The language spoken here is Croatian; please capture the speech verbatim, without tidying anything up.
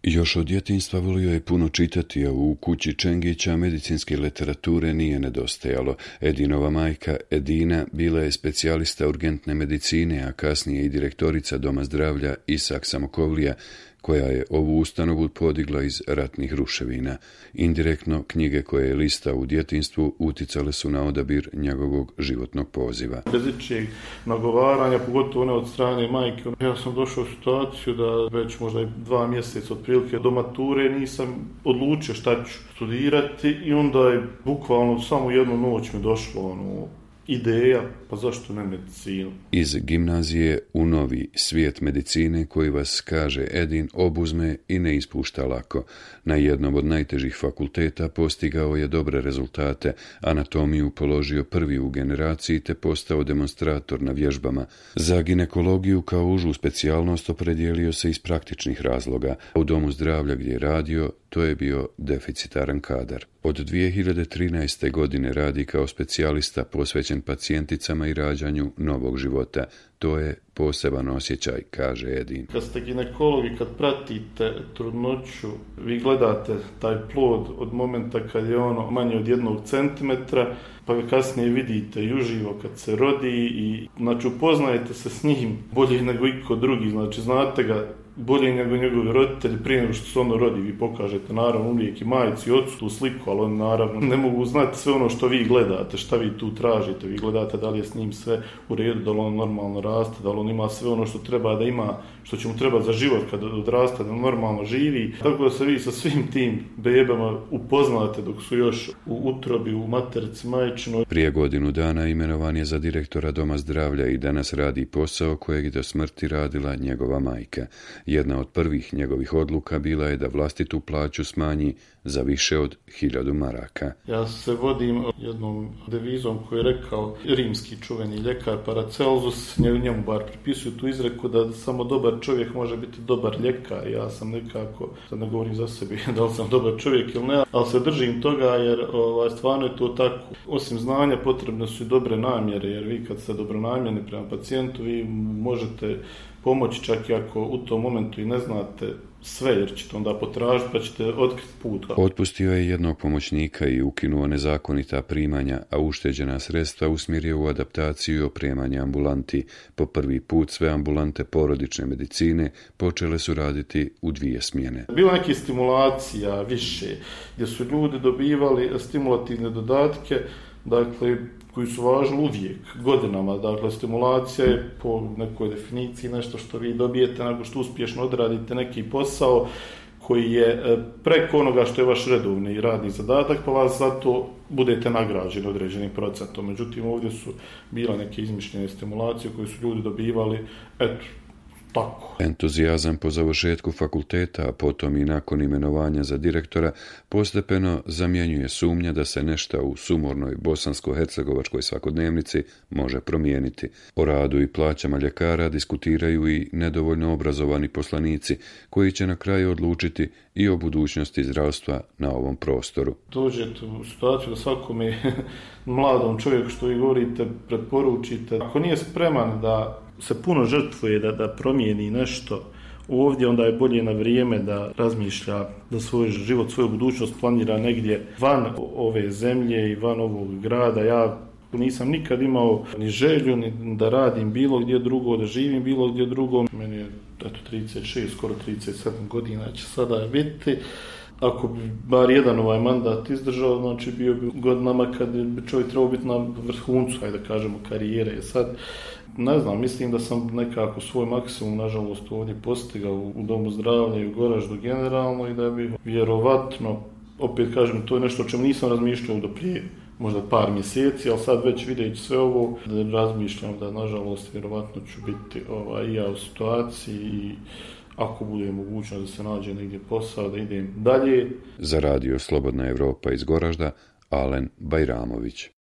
Još od djetinjstva volio je puno čitati, a u kući Čengića medicinske literature nije nedostajalo. Edinova majka Edina bila je specijalista urgentne medicine, a kasnije i direktorica Doma zdravlja Isak Samokovlija, koja je ovu ustanovu podigla iz ratnih ruševina. Indirektno, knjige koje je listao u djetinjstvu uticale su na odabir njegovog životnog poziva. Bez ičijeg nagovaranja, pogotovo ne od strane majke, ja sam došao u situaciju da već možda dva mjeseca otprilike do mature nisam odlučio šta ću studirati i onda je bukvalno samo jednu noć mi došlo ono, ideja, pa zašto ne medicinu? Iz gimnazije u novi svijet medicine koji vas, kaže Edin, obuzme i ne ispušta lako. Na jednom od najtežih fakulteta postigao je dobre rezultate, anatomiju položio prvi u generaciji te postao demonstrator na vježbama. Za ginekologiju kao užu specijalnost opredijelio se iz praktičnih razloga. U domu zdravlja gdje je radio, to je bio deficitaran kadar. Od dvije hiljade trinaeste. godine radi kao specijalista posvećen pacijenticama i rađanju novog života. To je poseban osjećaj, kaže Edin. Kad ste ginekolog i kad pratite trudnoću, vi gledate taj plod od momenta kad je ono manje od jednog centimetra, pa ga kasnije vidite i uživo kad se rodi i znači upoznajete se s njim bolje nego iko drugi, znači znate ga bolje nego njegovi roditelji prije nego što se ono rodi. Vi pokažete naravno uvijek i majici i ocu tu sliku, ali oni naravno ne mogu znati sve ono što vi gledate, šta vi tu tražite. Vi gledate da li je s njim sve u redu, da li on normalno raste, da li on ima sve ono što treba da ima, što će mu trebati za život kad odrasta, da normalno živi. Tako da se vi sa svim tim bebama upoznate dok su još u utrobi, u materici majčinoj. Prije godinu dana imenovan je za direktora Doma zdravlja i danas radi posao kojeg je do smrti radila njegova majka. Jedna od prvih njegovih odluka bila je da vlastitu plaću smanji za više od hiljadu maraka. Ja se vodim jednom devizom koju je rekao rimski čuveni ljekar Paracelsus, njemu bar pripisuju tu izreku da samo dobar čovjek može biti dobar ljekar. Ja sam nekako, sad ne govorim za sebi da li sam dobar čovjek ili ne, ali se držim toga jer ovaj, stvarno je to tako. Osim znanja potrebne su i dobre namjere, jer vi kad ste dobronamjerni prema pacijentu, vi možete pomoći čak i ako u tom momentu i ne znate sve, jer ćete onda potražiti pa ćete otkriti put. Otpustio je jednog pomoćnika i ukinuo nezakonita primanja, a ušteđena sredstva usmjerio u adaptaciju i opremanje ambulanti. Po prvi put sve ambulante porodične medicine počele su raditi u dvije smjene. Bilo neke stimulacija više, gdje su ljudi dobivali stimulativne dodatke, dakle, koji su važni uvijek, godinama. Dakle, stimulacija je po nekoj definiciji nešto što vi dobijete nakon što uspješno odradite neki posao koji je preko onoga što je vaš redovni radni zadatak, pa vas zato budete nagrađeni određenim procentom. Međutim, ovdje su bila neke izmišljene stimulacije koje su ljudi dobivali, eto, tako. Entuzijazam po završetku fakulteta, a potom i nakon imenovanja za direktora, postepeno zamjenjuje sumnja da se nešto u sumornoj bosansko-hercegovačkoj svakodnevnici može promijeniti. O radu i plaćama ljekara diskutiraju i nedovoljno obrazovani poslanici, koji će na kraju odlučiti i o budućnosti zdravstva na ovom prostoru. Dođete u situaciju da svakome mladom čovjeku što vi govorite preporučite, ako nije spreman da se puno žrtvuje da, da promijeni nešto ovdje, onda je bolje na vrijeme da razmišlja da svoj život, svoju budućnost planira negdje van ove zemlje i van ovog grada. Ja nisam nikad imao ni želju ni da radim bilo gdje drugo, da živim bilo gdje drugo. Meni je eto, trideset šest, skoro trideset sedam godina će sada biti. Ako bi bar jedan ovaj mandat izdržao, znači bio bi godinama kad bi čovjek trebao biti na vrhuncu, hajde da kažemo, karijere. Sad, ne znam, mislim da sam nekako svoj maksimum, nažalost, ovdje postigao u Domu zdravlja i u Goraždu generalno i da bi vjerovatno, opet kažem, to je nešto o čemu nisam razmišljao do prije možda par mjeseci, ali sad već videći sve ovo, da razmišljam da, nažalost, vjerovatno ću biti ovaj, i ja u situaciji i ako bude mogućno da se nađe negdje posao, da idem dalje. Za radio Slobodna Evropa iz Goražda, Alen Bajramović.